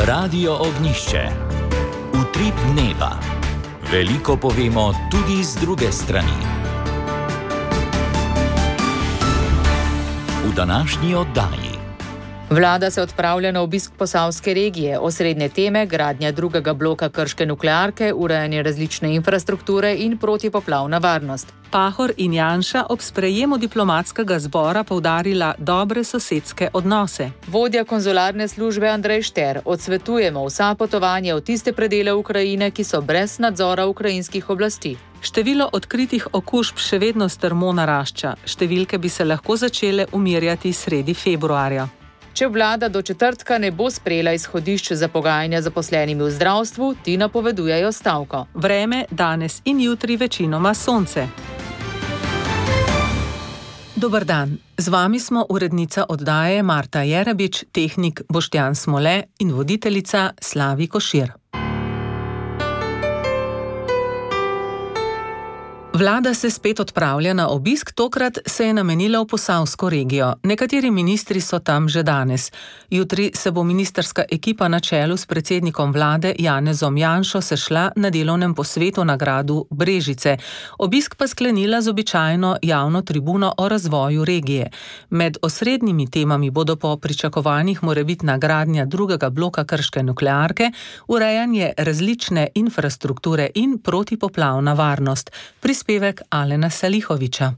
Radio Ognišče. Utrip dneva. Veliko povemo tudi z druge strani. V današnji oddaji. Vlada se odpravlja na obisk posavske regije, osrednje teme gradnja drugega bloka krške nuklearke, urejanje različne infrastrukture in protipoplavna varnost. Pahor in Janša ob sprejemu diplomatskega zbora poudarila dobre sosedske odnose. Vodja konzularne službe Andrej Šter: odsvetujemo vsa potovanja v tiste predele Ukrajine, ki so brez nadzora ukrajinskih oblasti. Število odkritih okužb še vedno strmo narašča. Številke bi se lahko začele umirjati sredi februarja. Če vlada do četrtka ne bo sprejela izhodišč za pogajanja z zaposlenimi v zdravstvu, ti napovedujejo stavko. Vreme danes in jutri večinoma sonce. Dober dan, z vami smo urednica oddaje Marta Jerebič, tehnik Boštjan Smole in voditeljica Slavi Košir. Vlada se spet odpravlja na obisk, tokrat se je namenila v posavsko regijo. Nekateri ministri so tam že danes. Jutri se bo ministrska ekipa na čelu s predsednikom vlade Janezom Janšo sešla na delovnem posvetu na gradu Brežice. Obisk pa sklenila z običajno javno tribuno o razvoju regije. Med osrednjimi temami bodo po pričakovanjih morebitna gradnja drugega bloka krške nuklearke, urejanje različne infrastrukture in protipoplavna varnost. Prispevek Alena Salihoviča.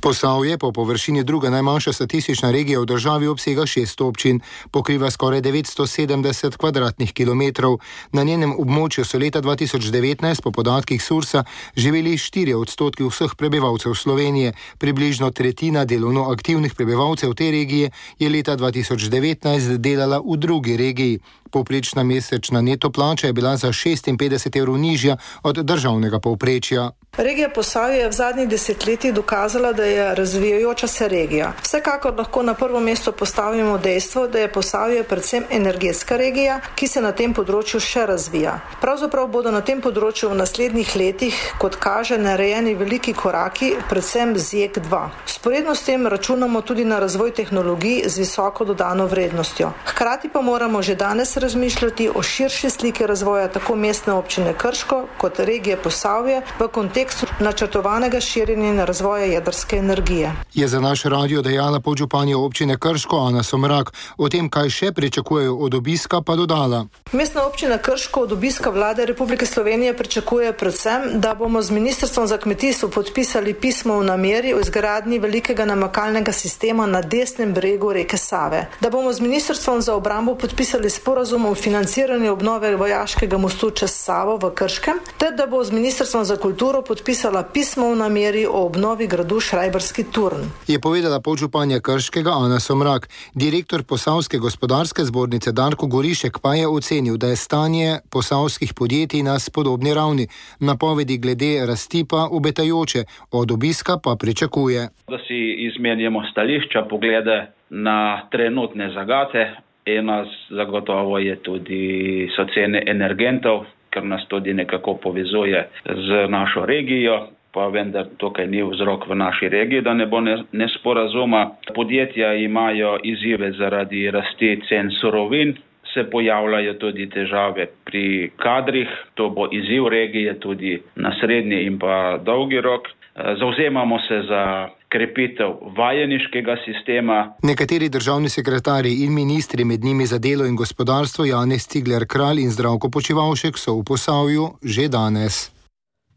Posavje, po površini druga najmanjša statistična regija v državi, obsega 6 občin, pokriva skoraj 970 kvadratnih kilometrov. Na njenem območju so leta 2019 po podatkih Sursa živeli 4% vseh prebivalcev Slovenije. Približno tretjina delovno aktivnih prebivalcev te regije je leta 2019 delala v drugi regiji. Povprečna mesečna neto plača je bila za 56 evrov nižja od državnega povprečja. Regija Posavje je v zadnjih desetletjih dokazala, da je razvijajoča se regija. Vsekakor lahko na prvo mesto postavimo dejstvo, da je Posavje predvsem energetska regija, ki se na tem področju še razvija. Pravzaprav bodo na tem področju v naslednjih letih, kot kaže, narejeni veliki koraki, predvsem z JEK2. Sporedno s tem računamo tudi na razvoj tehnologij z visoko dodano vrednostjo. Hkrati pa moramo že danes razmišljati o širši sliki razvoja tako mestne občine Krško kot regije Posavje v kontekstu načrtovanega širjenja in razvoja jedrske energije. Je za naš radio dejala podžupanja občine Krško Ana Somrak. O tem, kaj še pričakujejo od obiska, pa dodala. Mestna občina Krško od obiska vlade Republike Slovenije pričakuje predvsem, da bomo z Ministrstvom za kmetijstvo podpisali pismo o nameri o izgradnji velikega namakalnega sistema na desnem bregu reke Save. Da bomo z Ministrstvom za obrambo podpisali sporazum o financiranju obnove vojaškega mostu čez Savo v Krškem, ter da bo z Ministrstvom za kulturo podpisala pismo o nameri o obnovi gradu Šrajbarski Turn. Je povedala podžupanja Krškega Ana Somrak. Direktor Posavske gospodarske zbornice Darko Gorišek pa je ocenil, da je stanje posavskih podjetij na spodobni ravni. Napovedi glede rasti pa obetajoče, od obiska pa pričakuje. Da si izmenjamo stališča, poglede na trenutne zagate. Ena zagotovo je tudi so cene energentov, ker nas tudi nekako povezuje z našo regijo, pa vendar tukaj ni vzrok v naši regiji, da ne bo nesporazuma. Podjetja imajo izzive zaradi rasti cen surovin, se pojavljajo tudi težave pri kadrih, to bo izziv regije tudi na srednji in pa dolgi rok. Zavzemamo se za krepitev vajeniškega sistema. Nekateri državni sekretarji in ministri, med njimi za delo in gospodarstvo Janez Cigler Kralj in Zdravko Počivalšek, so v Posavju že danes.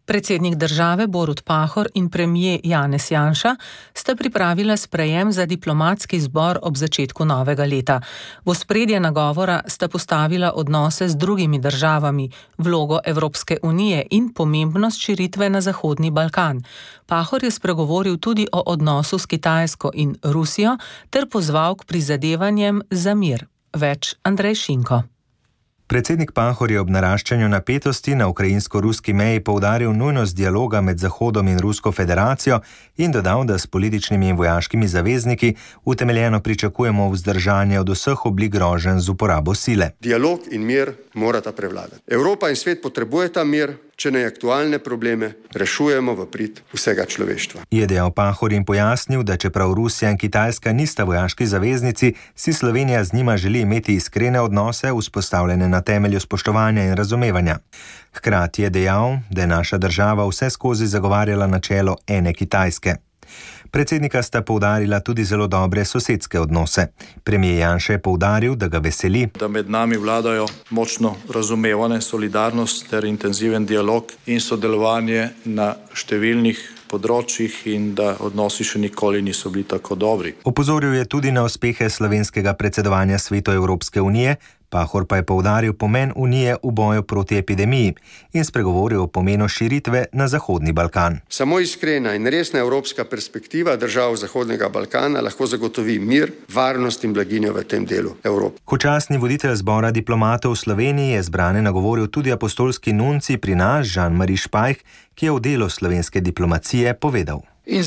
Predsednik države Borut Pahor in premier Janez Janša sta pripravila sprejem za diplomatski zbor ob začetku novega leta. V ospredje nagovora sta postavila odnose z drugimi državami, vlogo Evropske unije in pomembnost širitve na Zahodni Balkan. Pahor je spregovoril tudi o odnosu s Kitajsko in Rusijo ter pozval k prizadevanjem za mir. Več Andrej Šinko. Predsednik Pahor je ob naraščanju napetosti na ukrajinsko-ruski meji poudaril nujnost dialoga med Zahodom in Rusko federacijo in dodal, da s političnimi in vojaškimi zavezniki utemeljeno pričakujemo vzdržanje od vseh oblik groženj z uporabo sile. Dialog in mir morata prevladati. Evropa in svet potrebujeta mir. če naj aktualne probleme rešujemo v prid vsega človeštva. Je dejal Pahor in pojasnil, da čeprav Rusija in Kitajska nista vojaški zaveznici, si Slovenija z njima želi imeti iskrene odnose, vzpostavljene na temelju spoštovanja in razumevanja. Hkrati je dejal, da je naša država vseskozi zagovarjala načelo ene Kitajske. Predsednika sta poudarila tudi zelo dobre sosedske odnose. Premijer Janša je poudaril, da ga veseli, da med nami vladajo močno razumevanje, solidarnost ter intenziven dialog in sodelovanje na številnih področjih in da odnosi še nikoli niso bili tako dobri. Opozoril je tudi na uspehe slovenskega predsedovanja Svetu Evropske unije, Pahor pa je poudaril pomen Unije v boju proti epidemiji in spregovoril o pomenu širitve na Zahodni Balkan. Samo iskrena in resna evropska perspektiva držav Zahodnega Balkana lahko zagotovi mir, varnost in blaginjo v tem delu Evrope. Kot častni voditelj zbora diplomatov v Sloveniji je zbrane nagovoril tudi apostolski nunci pri nas Jean-Marie Špajh, ki je o delu slovenske diplomacije povedal. V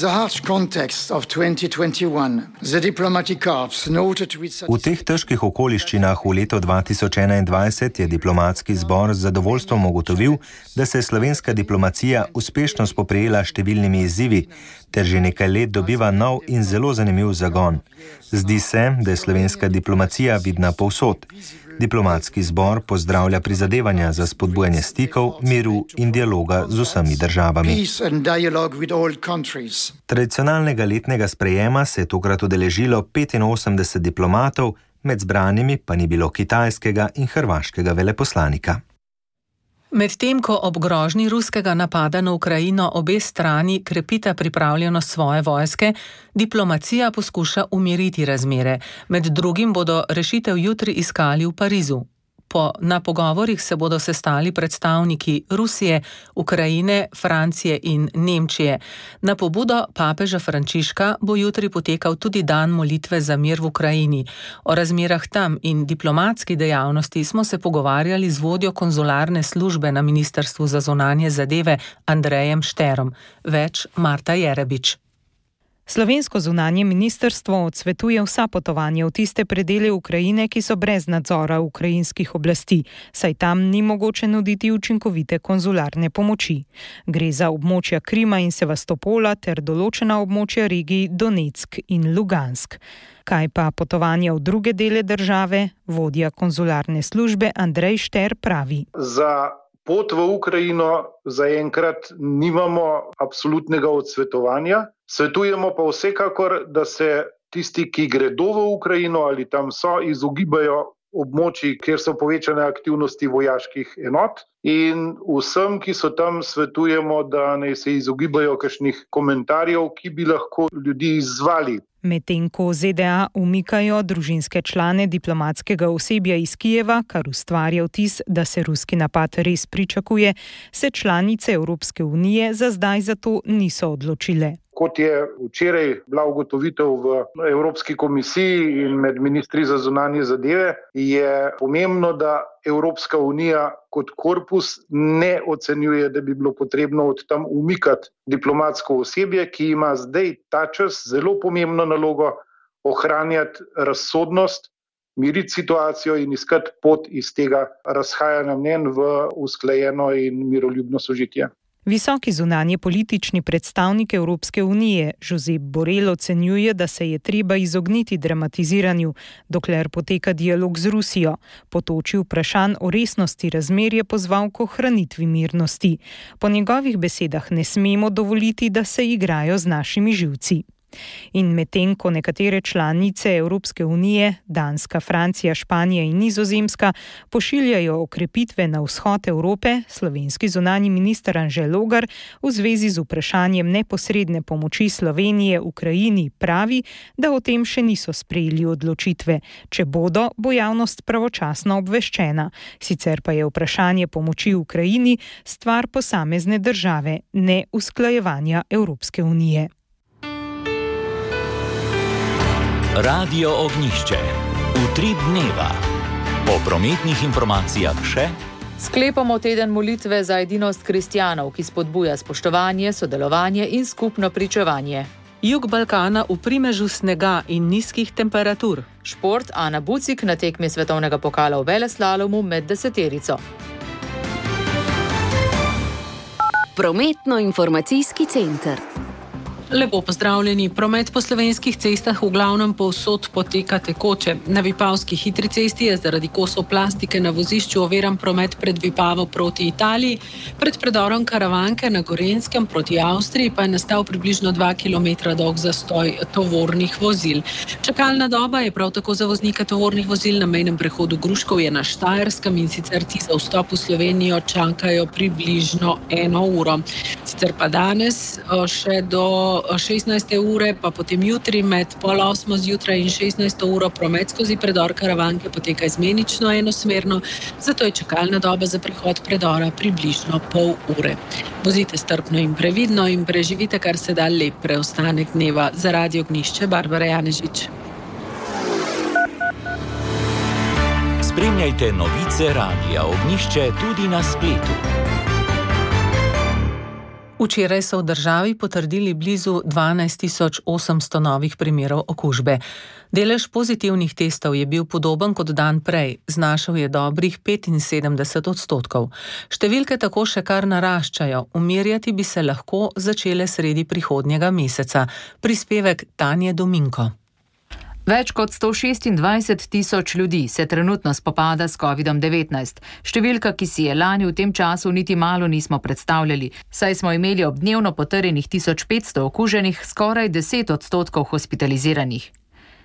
teh težkih okoliščinah v letu 2021 je diplomatski zbor z zadovoljstvom ugotovil, da se je slovenska diplomacija uspešno spoprijela s številnimi izzivi, ter že nekaj let dobiva nov in zelo zanimiv zagon. Zdi se, da je slovenska diplomacija vidna povsod. Diplomatski zbor pozdravlja prizadevanja za spodbujanje stikov, miru in dialoga z vsemi državami. Tradicionalnega letnega sprejema se je tokrat udeležilo 85 diplomatov, med zbranimi pa ni bilo kitajskega in hrvaškega veleposlanika. Medtem ko ob grožnji ruskega napada na Ukrajino obe strani krepita pripravljenost svoje vojske, diplomacija poskuša umiriti razmere. Med drugim bodo rešitev jutri iskali v Parizu. Na pogovorih se bodo sestali predstavniki Rusije, Ukrajine, Francije in Nemčije. Na pobudo papeža Frančiška bo jutri potekal tudi dan molitve za mir v Ukrajini. O razmerah tam in diplomatski dejavnosti smo se pogovarjali z vodjo konzularne službe na Ministrstvu za zunanje zadeve Andrejem Šterom. Več Marta Jerebič. Slovensko zunanje ministrstvo odsvetuje vsa potovanja v tiste predele Ukrajine, ki so brez nadzora ukrajinskih oblasti, saj tam ni mogoče nuditi učinkovite konzularne pomoči. Gre za območja Krima in Sevastopola ter določena območja regij Donetsk in Lugansk. Kaj pa potovanja v druge dele države? Vodja konzularne službe Andrej Šter pravi. Za pot v Ukrajino zaenkrat nimamo absolutnega odsvetovanja. Svetujemo pa vsekakor, da se tisti, ki gredo v Ukrajino ali tam so, izogibajo območij, kjer so povečane aktivnosti vojaških enot. In vsem, ki so tam, svetujemo, da naj se izogibajo kakšnih komentarjev, ki bi lahko ljudi izzvali. Medtem ko ZDA umikajo družinske člane diplomatskega osebja iz Kijeva, kar ustvarja vtis, da se ruski napad res pričakuje, se članice Evropske unije za zdaj za to niso odločile. Kot je včeraj bila ugotovitev v Evropski komisiji in med ministri za zunanje zadeve, je pomembno, da Evropska unija kot korpus ne ocenjuje, da bi bilo potrebno od tam umikati diplomatsko osebje, ki ima zdaj ta čas zelo pomembno nalogo ohranjati razsodnost, miriti situacijo in iskati pot iz tega razhajanja mnenj v usklajeno in miroljubno sožitje. Visoki zunanje politični predstavnik Evropske unije Josep Borrell ocenjuje, da se je treba izogniti dramatiziranju, dokler poteka dialog z Rusijo. Po toči vprašanj o resnosti razmer je pozval k ohranitvi mirnosti. Po njegovih besedah ne smemo dovoliti, da se igrajo z našimi živci. In medtem ko nekatere članice Evropske unije, Danska, Francija, Španija in Nizozemska, pošiljajo okrepitve na vzhod Evrope, slovenski zunanji minister Anže Logar v zvezi z vprašanjem neposredne pomoči Slovenije Ukrajini pravi, da o tem še niso sprejeli odločitve. Če bodo, bo javnost pravočasno obveščena. Sicer pa je vprašanje pomoči Ukrajini stvar posamezne države, ne usklajevanja Evropske unije. Radio Ognjišče. Utrip dneva. Po prometnih informacijah še. Sklepamo teden molitve za edinost kristjanov, ki spodbuja spoštovanje, sodelovanje in skupno pričevanje. Jug Balkana v primežu snega in nizkih temperatur. Šport Ana Bucik na tekmi svetovnega pokala v veleslalomu med 10-terico. Prometno-informacijski center. Lepo pozdravljeni. Promet po slovenskih cestah v glavnem povsod poteka tekoče. Na Vipavski hitri cesti je zaradi kosov plastike na vozišču oviran promet pred Vipavo proti Italiji, pred predorom Karavanke na Gorenjskem proti Avstriji pa je nastal približno 2 km dolg zastoj tovornih vozil. Čakalna doba je prav tako za voznike tovornih vozil na mejnem prehodu Gruškovje na Štajerskem, in sicer ti za vstop v Slovenijo čakajo približno 1 uro. Sicer pa danes še do 16. ure, pa potem jutri med 7:30 zjutraj in 16. uro promet skozi predor Karavanke poteka izmenično enosmerno, zato je čakalna doba za prehod predora približno pol ure. Vozite strpno in previdno in preživite kar se da lep preostanek dneva. Za Radio Ognjišče, Barbara Janežič. Spremljajte novice Radia Ognjišče tudi na spletu. Včeraj so v državi potrdili blizu 12.800 novih primerov okužbe. Delež pozitivnih testov je bil podoben kot dan prej, znašal je dobrih 75%. Številke tako še kar naraščajo, umirjati bi se lahko začele sredi prihodnjega meseca. Prispevek Tanje Dominko. Več kot 126 tisoč ljudi se trenutno spopada s COVID-19. Številka, ki si je lani v tem času niti malo nismo predstavljali, saj smo imeli ob dnevno potrjenih 1500 okuženih skoraj 10% hospitaliziranih.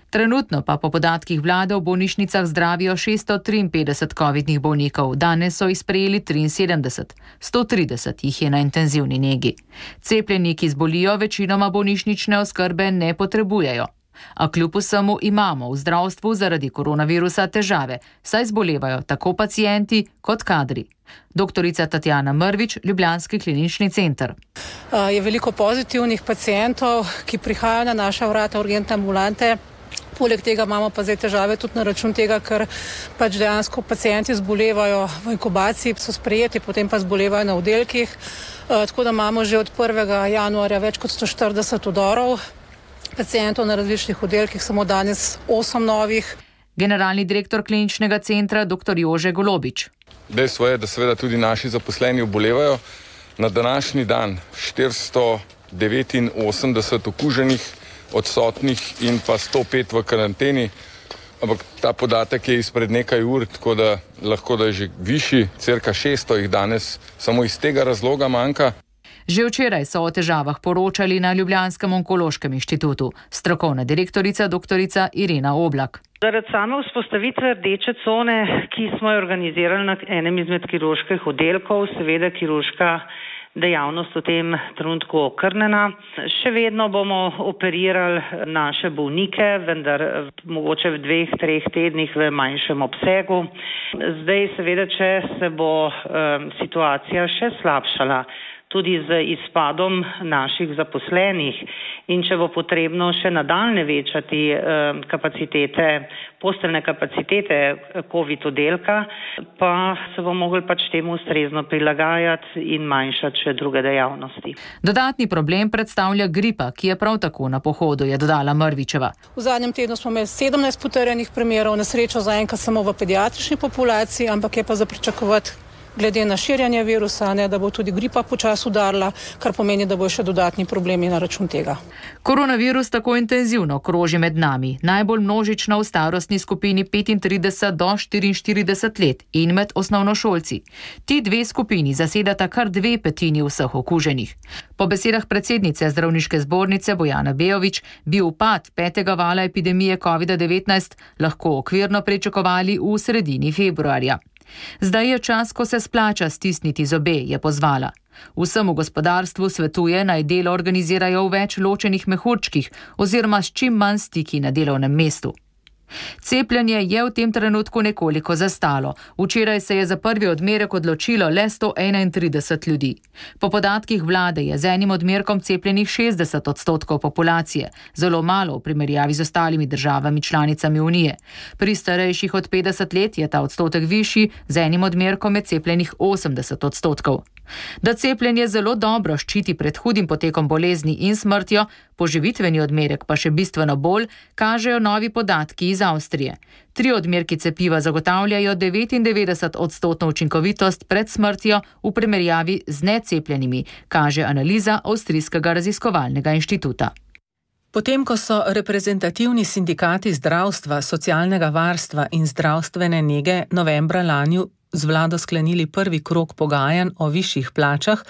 Trenutno pa po podatkih vlade v bolnišnicah zdravijo 653 covidnih bolnikov, danes so jih sprejeli 73, 130 jih je na intenzivni negi. Cepljeni, ki zbolijo, večinoma bolnišnične oskrbe ne potrebujejo. A kljub vsemu imamo v zdravstvu zaradi koronavirusa težave, saj zbolevajo tako pacienti kot kadri. Doktorica Tatjana Mrvič, Ljubljanski klinični center. Je veliko pozitivnih pacientov, ki prihajajo na naša vrata urgentne ambulante. Poleg tega imamo pa zdaj težave tudi na račun tega, ker pač dejansko pacienti zbolevajo v inkubaciji, so sprejeti, potem pa zbolevajo na oddelkih. Tako da imamo že od 1. januarja več kot 140 vdorov pacientov na različnih oddelkih, samo danes 8 novih. Generalni direktor kliničnega centra dr. Jože Golobič. Dejstvo je, da seveda tudi naši zaposleni obolevajo. Na današnji dan 489 okuženih, odsotnih in pa 105 v karanteni. Ampak ta podatek je izpred nekaj ur, tako da lahko da je že višji, cirka 600 jih danes samo iz tega razloga manjka. Že včeraj so o težavah poročali na Ljubljanskem onkološkem inštitutu. Strokovna direktorica doktorica Irena Oblak. Zaradi same vzpostavitve rdeče cone, ki smo jo organizirali na enem izmed kirurških oddelkov, seveda kirurška dejavnost v tem trenutku okrnjena. Še vedno bomo operirali naše bolnike, vendar mogoče v 2-3 tednih v manjšem obsegu. Zdaj seveda, če se bo situacija še slabšala, tudi z izpadom naših zaposlenih in če bo potrebno še nadaljne večati posteljne kapacitete COVID oddelka, pa se bo mogli pač temu ustrezno prilagajati in manjšati še druge dejavnosti. Dodatni problem predstavlja gripa, ki je prav tako na pohodu, je dodala Mrvičeva. V zadnjem tednu smo imeli 17 potrjenih primerov, na srečo zaenkrat samo v pediatrični populaciji, ampak je pa za pričakovati, glede na širjanje virusa, da bo tudi gripa počasi udarila, kar pomeni, da bo še dodatni problemi na račun tega. Koronavirus tako intenzivno kroži med nami, najbolj množično v starostni skupini 35 do 44 let in med osnovnošolci. Ti dve skupini zasedata kar 2/5 vseh okuženih. Po besedah predsednice Zdravniške zbornice Bojane Bejović bi upad 5. vala epidemije COVID-19 lahko okvirno pričakovali v sredini februarja. Zdaj je čas, ko se splača stisniti zobe, je pozvala. Vsemu gospodarstvu svetuje, naj delo organizirajo v več ločenih mehurčkih oziroma s čim manj stiki na delovnem mestu. Cepljenje je v tem trenutku nekoliko zastalo. Včeraj se je za prvi odmerek odločilo le 131 ljudi. Po podatkih vlade je z enim odmerkom cepljenih 60% populacije, zelo malo v primerjavi z ostalimi državami članicami Unije. Pri starejših od 50 let je ta odstotek višji, z enim odmerkom je cepljenih 80%. Da cepljenje zelo dobro ščiti pred hudim potekom bolezni in smrtjo, poživitveni odmerek pa še bistveno bolj, kažejo novi podatki iz Avstrije. 3 odmerki cepiva zagotavljajo 99% učinkovitost pred smrtjo v primerjavi z necepljenimi, kaže analiza Avstrijskega raziskovalnega inštituta. Potem, ko so reprezentativni sindikati zdravstva, socialnega varstva in zdravstvene nege novembra lani z vlado sklenili prvi krog pogajanj o višjih plačah,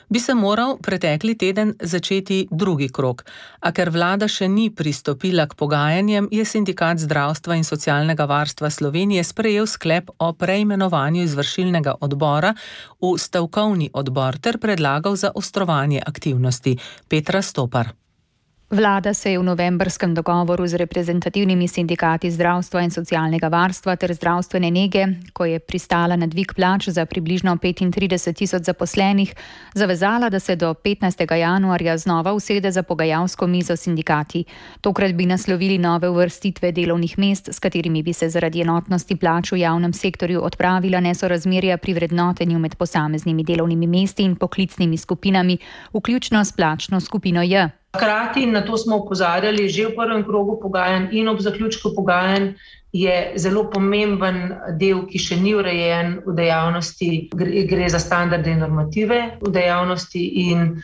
bi se moral pretekli teden začeti drugi krog. A ker vlada še ni pristopila k pogajanjem, je sindikat zdravstva in socialnega varstva Slovenije sprejel sklep o preimenovanju izvršilnega odbora v stavkovni odbor ter predlagal zaostrovanje aktivnosti. Petra Stopar. Vlada se je v novembrskem dogovoru z reprezentativnimi sindikati zdravstva in socialnega varstva ter zdravstvene nege, ko je pristala na dvig plač za približno 35.000 zaposlenih, zavezala, da se do 15. januarja znova usede za pogajalsko mizo sindikati. Tokrat bi naslovili nove uvrstitve delovnih mest, s katerimi bi se zaradi enotnosti plač v javnem sektorju odpravila nesorazmerja pri vrednotenju med posameznimi delovnimi mesti in poklicnimi skupinami, vključno s plačno skupino J. Hkrati, na to smo opozarjali že v prvem krogu pogajanj in ob zaključku pogajanj, je zelo pomemben del, ki še ni urejen v dejavnosti, gre za standarde in normative v dejavnosti in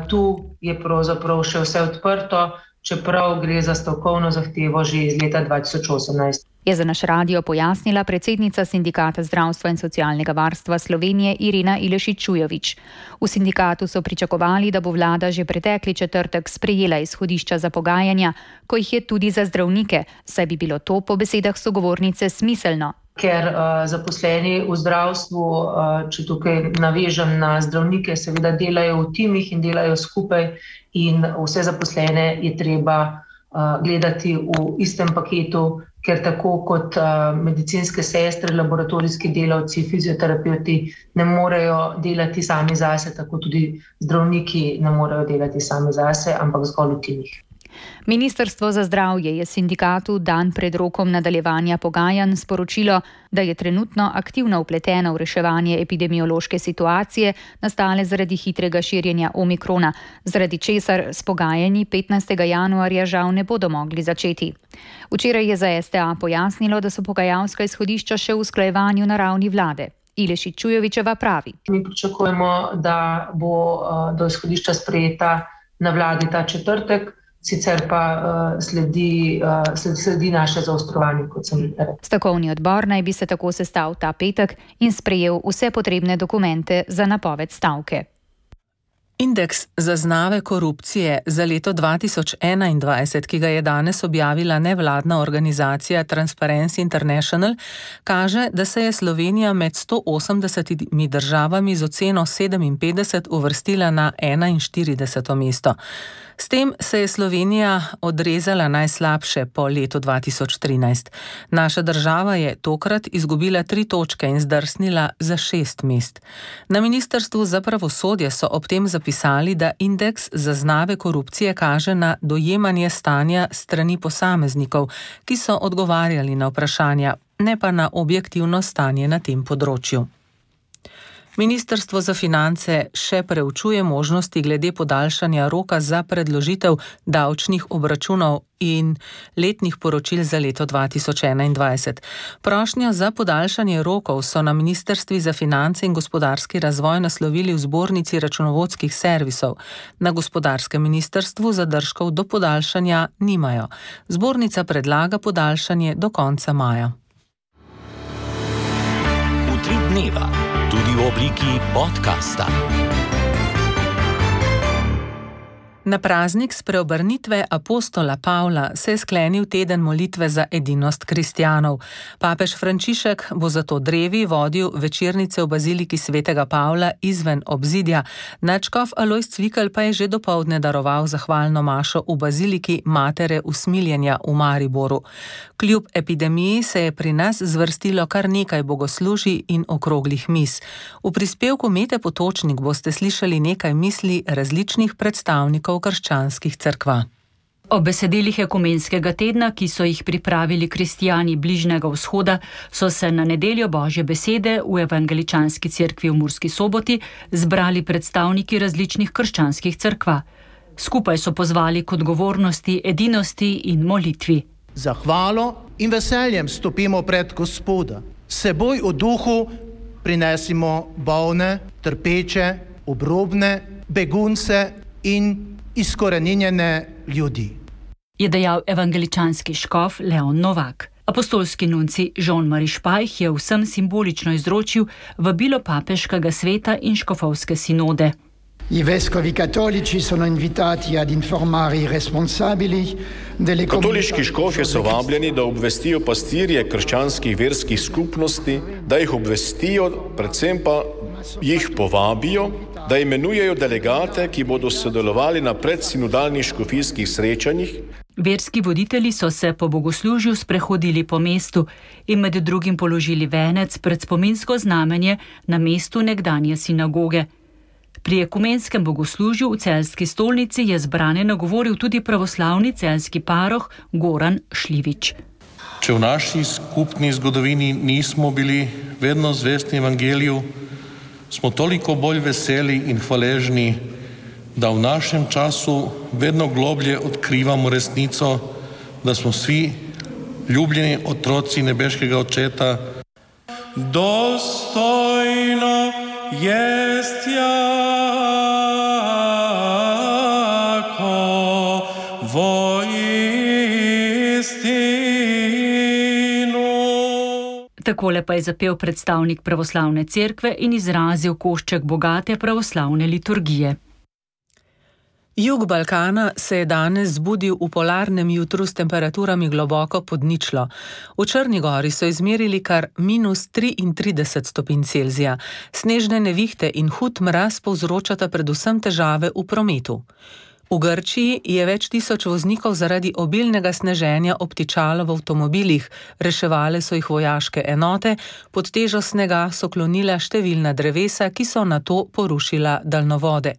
tu je pravzaprav še vse odprto, čeprav gre za stavkovno zahtevo že iz leta 2018. Je za naš radio pojasnila predsednica Sindikata zdravstva in socialnega varstva Slovenije Irena Ilešič-Čujovič. V sindikatu so pričakovali, da bo vlada že pretekli četrtek sprejela izhodišča za pogajanja, ko jih je tudi za zdravnike, saj bi bilo to po besedah sogovornice smiselno. Ker zaposleni v zdravstvu, če tukaj navežem na zdravnike, seveda delajo v timih in delajo skupaj in vse zaposlene je treba gledati v istem paketu, ker tako kot medicinske sestre, laboratorijski delavci, fizioterapeuti ne morejo delati sami zase, tako tudi zdravniki ne morejo delati sami zase, ampak zgolj v timih. Ministrstvo za zdravje je sindikatu dan pred rokom nadaljevanja pogajanj sporočilo, da je trenutno aktivno vpleteno v reševanje epidemiološke situacije, nastale zaradi hitrega širjenja omikrona, zaradi česar s pogajanji 15. januarja žal ne bodo mogli začeti. Včeraj je za STA pojasnilo, da so pogajalska izhodišča še v usklajevanju na ravni vlade. Ilešič-Čujovičeva pravi. Mi pričakujemo, da bo do izhodišča sprejeta na vladi ta četrtek, sicer pa sledi naše zaostrovanje, kot sem rekla. Stavkovni odbor naj bi se tako sestal ta petek in sprejel vse potrebne dokumente za napoved stavke. Indeks zaznave korupcije za leto 2021, ki ga je danes objavila nevladna organizacija Transparency International, kaže, da se je Slovenija med 180 državami z oceno 57 uvrstila na 41. mesto. S tem se je Slovenija odrezala najslabše po letu 2013. Naša država je tokrat izgubila 3 točke in zdrsnila za 6 mest. Na Ministrstvu za pravosodje so ob tem zapisali, da indeks zaznave korupcije kaže na dojemanje stanja strani posameznikov, ki so odgovarjali na vprašanja, ne pa na objektivno stanje na tem področju. Ministrstvo za finance še preučuje možnosti glede podaljšanja roka za predložitev davčnih obračunov in letnih poročil za leto 2021. Prošnjo za podaljšanje rokov so na Ministrstvi za finance in gospodarski razvoj naslovili v Zbornici računovodskih servisov. Na gospodarskem ministrstvu zadržkov do podaljšanja nimajo. Zbornica predlaga podaljšanje do konca maja. Utrip dneva. Tudi v obliki podcasta. Na praznik spreobrnitve apostola Pavla se je sklenil teden molitve za edinost kristjanov. Papež Frančišek bo zato drevi vodil večernice v baziliki svetega Pavla izven obzidja. Nadškof Alojz Cvikl pa je že dopoldne daroval zahvalno mašo v baziliki Matere usmiljenja v Mariboru. Kljub epidemiji se je pri nas zvrstilo kar nekaj bogoslužij in okroglih mis. V prispevku Mete Potočnik boste slišali nekaj misli različnih predstavnikov krščanskih cerkva. O besedilih ekumenskega tedna, ki so jih pripravili kristijani Bližnjega vzhoda, so se na nedeljo Božje besede v Evangeličanski cerkvi v Murski Soboti zbrali predstavniki različnih krščanskih cerkva. Skupaj so pozvali k odgovornosti, edinosti in molitvi. Zahvalo in veseljem stopimo pred Gospoda. Seboj v duhu prinesimo bolne, trpeče, obrobne, begunce in izkoreninjene ljudi, je dejal evangeličanski škof Leon Novak. Apostolski nunci Jean-Marie Špajh je vsem simbolično izročil vabilo papeškega sveta in škofovske sinode. I vescovi cattolici sono invitati ad informare i responsabili delle Katoliški škofje so vabljeni, da obvestijo pastirje krščanskih verskih skupnosti, da jih obvestijo, predvsem pa jih povabijo, da imenujejo delegate, ki bodo sodelovali na predsinodalnih škofijskih srečanjih. Verski voditelji so se po bogoslužju sprehodili po mestu in med drugim položili venec pred spominsko znamenje na mestu nekdanje sinagoge. Pri ekumenskem bogoslužju v Celjski stolnici je zbrane nagovoril tudi pravoslavni celjski paroh Goran Šljivič. Če v naši skupni zgodovini nismo bili vedno zvesti evangeliju, smo toliko bolj veseli in hvaležni, da v našem času vedno globlje odkrivamo resnico, da smo vsi ljubljeni otroci nebeškega Očeta. Dostojno jest jako voistinu. Takole pa je zapel predstavnik pravoslavne cerkve in izrazil košček bogate pravoslavne liturgije. Jug Balkana se je danes zbudil v polarnem jutru s temperaturami globoko pod ničlo. V Črni gori so izmerili kar -33 stopinj Celzija. Snežne nevihte in hud mraz povzročata predvsem težave v prometu. V Grčiji je več tisoč voznikov zaradi obilnega sneženja obtičalo v avtomobilih, reševale so jih vojaške enote, pod težo snega so klonila številna drevesa, ki so nato porušila daljnovode.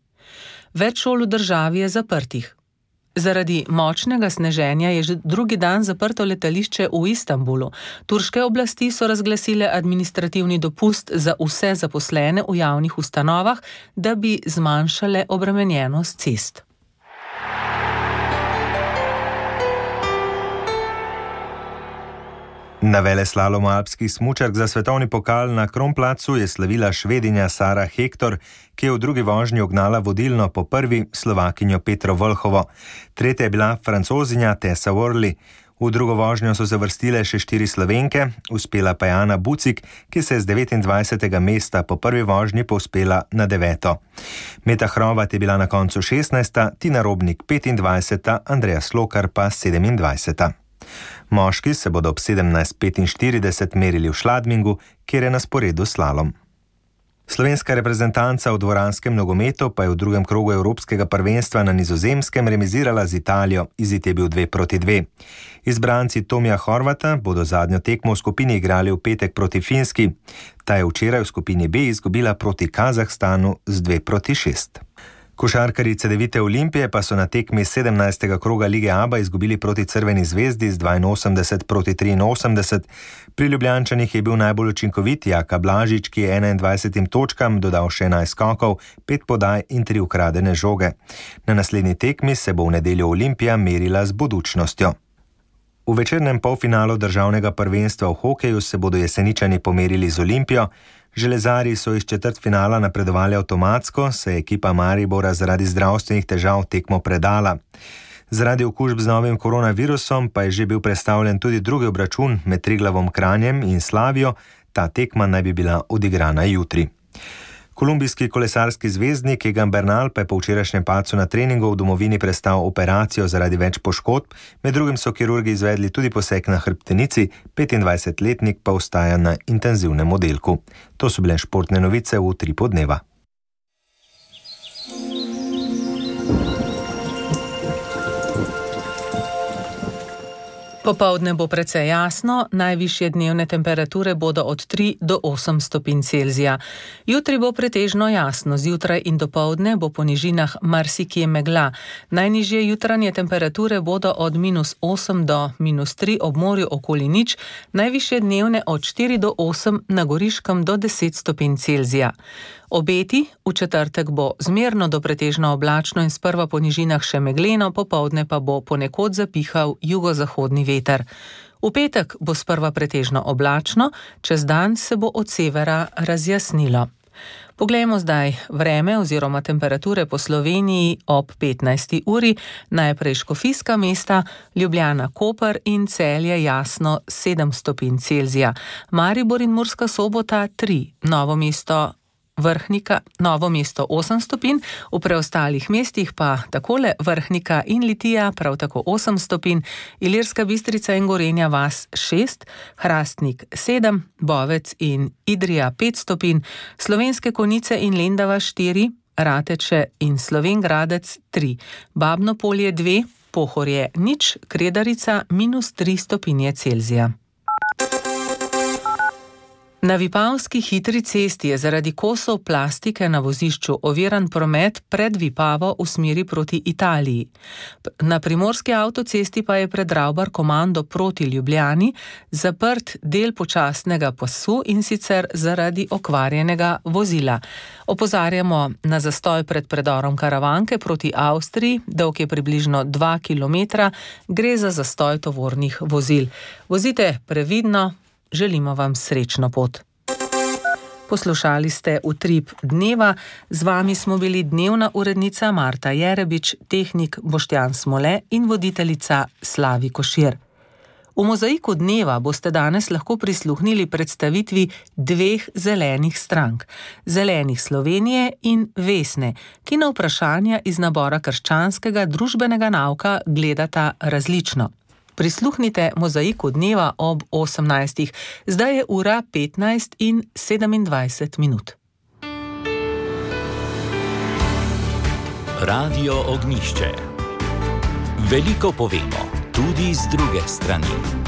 Več šol v državi je zaprtih. Zaradi močnega sneženja je že drugi dan zaprto letališče v Istanbulu. Turške oblasti so razglasile administrativni dopust za vse zaposlene v javnih ustanovah, da bi zmanjšale obremenjenost cest. Na veleslalomu alpskih smučark za svetovni pokal na Kronplacu je slavila Švedinja Sara Hektor, ki je v drugi vožnji ugnala vodilno po prvi Slovakinjo Petro Vlhovo. Tretja je bila Francozinja Tessa Worley. V drugo vožnjo so se vrstile še 4 Slovenke, uspela pa je Ana Bucik, ki se je z 29. mesta po prvi vožnji povzpela na 9. Meta Hrovat je bila na koncu 16., Tina Robnik 25., Andreja Slokar pa 27. Moški se bodo ob 17:45 merili v Šladmingu, kjer je na sporedu slalom. Slovenska reprezentanca v dvoranskem nogometu pa je v drugem krogu Evropskega prvenstva na Nizozemskem remizirala z Italijo, izid je bil 2:2. Izbranci Tomija Horvata bodo zadnjo tekmo v skupini igrali v petek proti Finski. Ta je včeraj v skupini B izgubila proti Kazahstanu z 2:6. Košarkarji Cedevite Olimpije pa so na tekmi 17. kroga Lige ABA izgubili proti Crveni zvezdi z 82:83. Pri Ljubljančanih je bil najbolj učinkovit Jaka Blažič, ki je 21 točkam dodal še 11 skokov, 5 podaj in 3 ukradene žoge. Na naslednji tekmi se bo v nedeljo Olimpija merila z Budućnostjo. V večernem polfinalu državnega prvenstva v hokeju se bodo Jeseničani pomerili z Olimpijo. Železarji so iz četrtfinala napredovali avtomatsko, se je ekipa Maribora zaradi zdravstvenih težav tekmo predala. Zaradi okužb z novim koronavirusom pa je že bil prestavljen tudi drugi obračun med Triglavom Kranjem in Slavijo, ta tekma naj bi bila odigrana jutri. Kolumbijski kolesarski zvezdnik Egan Bernal pa je po včerajšnjem padcu na treningu v domovini prestal operacijo zaradi več poškodb, med drugim so kirurgi izvedli tudi poseg na hrbtenici, 25-letnik pa ostaja na intenzivnem oddelku. To so bile športne novice v Utripu dneva. Po Popoldne bo precej jasno, najvišje dnevne temperature bodo od 3 do 8 stopinj Celzija. Jutri bo pretežno jasno, zjutraj in dopoldne bo po nižinah marsikje megla. Najnižje jutranje temperature bodo od -8 do -3 ob morju okoli nič, najvišje dnevne od 4 do 8, na Goriškem do 10 stopinj Celzija. Obeti: v četrtek bo zmerno do pretežno oblačno in sprva po nižinah še megleno, popoldne pa bo ponekod zapihal jugozahodni veter. V petek bo sprva pretežno oblačno, čez dan se bo od severa razjasnilo. Poglejmo zdaj vreme oziroma temperature po Sloveniji ob 15. uri. Najprej škofijska mesta, Ljubljana, Koper in Celje jasno 7 stopinj Celzija. Maribor in Murska Sobota 3, Novo mesto 8 stopinj, v preostalih mestih pa takole Vrhnika in Litija prav tako 8 stopinj, Ilirska Bistrica in Gorenja vas 6, Hrastnik 7, Bovec in Idrija 5 stopinj, Slovenske Konjice in Lendava 4, Rateče in Slovenj Gradec 3, Babno Polje 2, Pohorje 0, Kredarica -3 stopinje Celzija. Na Vipavski hitri cesti je zaradi kosov plastike na vozišču oviran promet pred Vipavo v smeri proti Italiji. Na primorski avtocesti pa je pred Ravbar komando proti Ljubljani zaprt del počasnega pasu, in sicer zaradi okvarjenega vozila. Opozarjamo na zastoj pred predorom Karavanke proti Avstriji, dolg je približno 2 km, gre za zastoj tovornih vozil. Vozite previdno. Želimo vam srečno pot. Poslušali ste Utrip dneva, z vami smo bili dnevna urednica Marta Jerebič, tehnik Boštjan Smole in voditeljica Slavi Košir. V Mozaiku dneva boste danes lahko prisluhnili predstavitvi dveh zelenih strank, Zelenih Slovenije in Vesne, ki na vprašanja iz nabora krščanskega družbenega nauka gledata različno. Prisluhnite Mozaiku dneva ob 18. Zdaj je ura 15:27. Radio Ognjišče. Veliko povemo, tudi z druge strani.